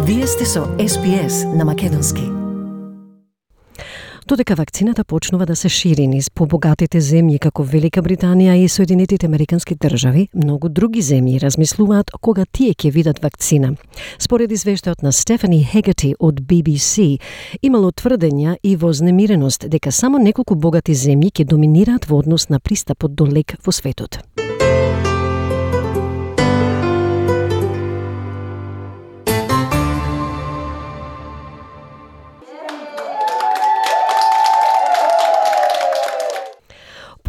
Вие сте со SPS на македонски. Додека вакцината почнува да се шири низ побогатите земји како Велика Британија и Соединетите Американски држави, многу други земји размислуваат кога тие ќе видат вакцина. Според извештајот на Стефани Хегати од BBC, имало тврдења и вознемиреност дека само неколку богати земји ќе доминираат во однос на пристапот до лек во светот.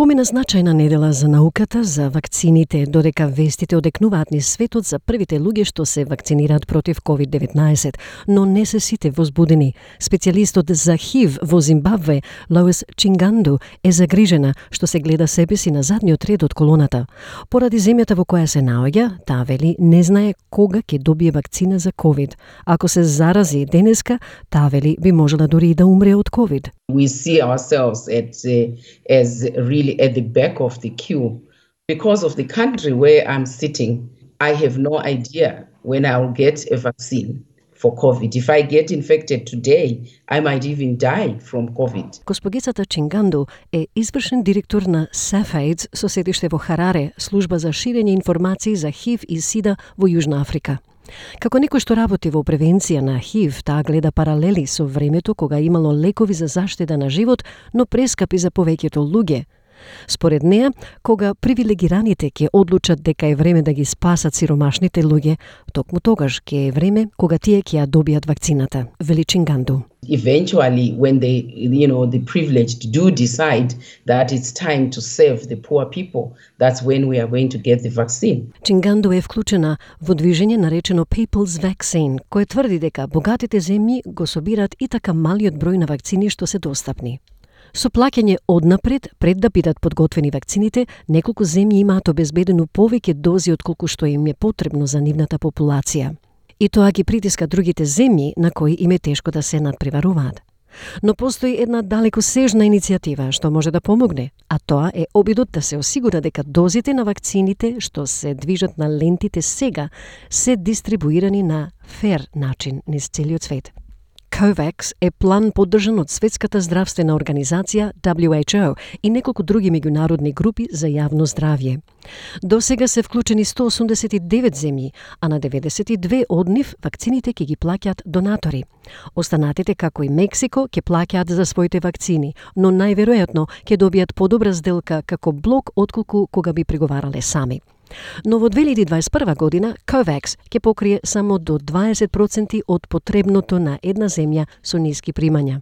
Помина значајна недела за науката, за вакцините, додека вестите одекнуваат низ светот за првите луѓе што се вакцинираат против COVID-19, но не се сите возбудени. Специјалистот за ХИВ во Зимбабве, Лоис Чинганду, е загрижена што се гледа себе си на задниот ред од колоната. Поради земјата во која се наоѓа, таа вели не знае кога ќе добие вакцина за COVID. Ако се зарази денеска, таа вели би можела дури и да умре од COVID. We see ourselves as really at the back of the queue. Because of the country where I'm sitting, I have no idea when I'll get a vaccine for COVID. If I get infected today, I might even die from COVID. Госпогицата Чинганду е извршен директор на SAFAIDS со седиште во Хараре, служба за ширење информации за ХИВ и СИДА во Јужна Африка. Како некој што работи во превенција на ХИВ, таа гледа паралели со времето кога имало лекови за заштита на живот, но прескапи за повеќето луѓе. Според неа, кога привилегираните ќе одлучат дека е време да ги спасат сиромашните луѓе, токму тогаш ќе е време кога тие ќе ја добијат вакцината, вели Чинганду. Eventually, when the privileged do decide that it's time to save the poor people, that's when we are going to get the vaccine. Чинганду е вклучена во движење наречено People's Vaccine, кое тврди дека богатите земји го собираат и така малиот број на вакцини што се достапни. Со плаќање однапред, пред да бидат подготвени вакцините, неколку земји имаат обезбедено повеќе дози отколку што им е потребно за нивната популација. И тоа ги притиска другите земји на кои им е тешко да се надпреваруваат. Но постои една далекосежна иницијатива што може да помогне, а тоа е обидот да се осигура дека дозите на вакцините што се движат на лентите сега се дистрибуирани на фер начин низ целиот свет. COVAX е план поддржан од Светската здравствена организација WHO и неколку други меѓународни групи за јавно здравје. До сега се вклучени 189 земји, а на 92 од нив вакцините ќе ги плаќаат донатори. Останатите, како и Мексико, ќе плаќаат за своите вакцини, но најверојатно ќе добијат подобра сделка како блок отколку кога би преговарале сами. Но во 2021 година COVAX ќе покрие само до 20% од потребното на една земја со ниски примања.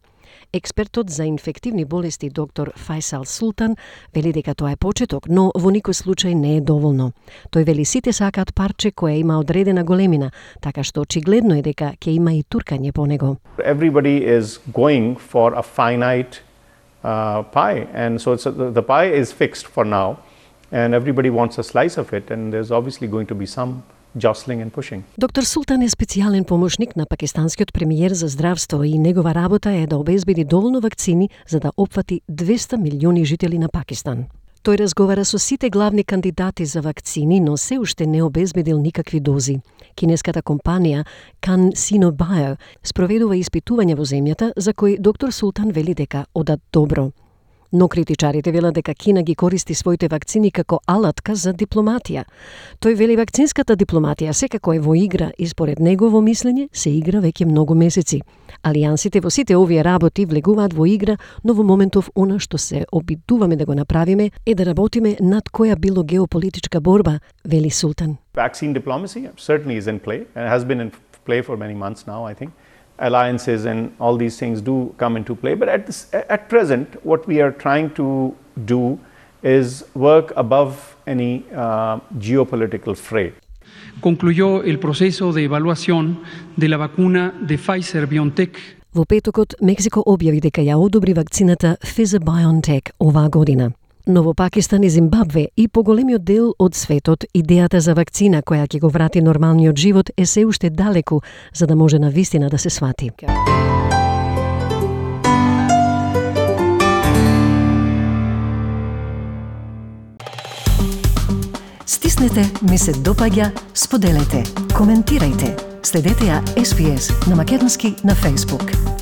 Експертот за инфективни болести доктор Фајсал Султан вели дека тоа е почеток, но во никој случај не е доволно. Тој вели сите сакаат парче кое има одредена големина, така што очигледно е дека ќе има и туркање по него. Everybody is going for a finite pie, and so the pie is fixed for now. And everybody wants a slice of it, and there's obviously going to be some jostling and pushing. Доктор Султан е специјален помошник на пакистанскиот премиер за здравство и негова работа е да обезбеди доволно вакцини за да опфати 200 милиони жители на Пакистан. Тој разговара со сите главни кандидати за вакцини, но се уште не обезбедил никакви дози. Кинеската компанија CanSino Bio спроведува испитувања во земјата за кои доктор Султан вели дека одат добро. Но критичарите велат дека Кина ги користи своите вакцини како алатка за дипломатија. Тој вели вакцинската дипломатија секако е во игра и според негово мислење се игра веќе многу месеци. Алијансите во сите овие работи влегуваат во игра, но во моментов она што се обидуваме да го направиме е да работиме над која било геополитичка борба, вели Султан. Vaccine diplomacy certainly is in play and has been in play for many months now, I think. Alliances and all these things do come into play, but at present what we are trying to do is work above any geopolitical fray. Concluyó el proceso de evaluación de la vacuna de Pfizer-BioNTech. Во петокот Мексико објави дека ја одобри вакцината Pfizer-BioNTech оваа година. Но во Пакистан и Зимбабве и поголемиот дел од светот, идејата за вакцина која ќе го врати нормалниот живот е се уште далеку, за да може на вистина да се свати. Стиснете, ми се допаѓа, споделете, коментирајте. Следете ја SPS на Македонски на Facebook.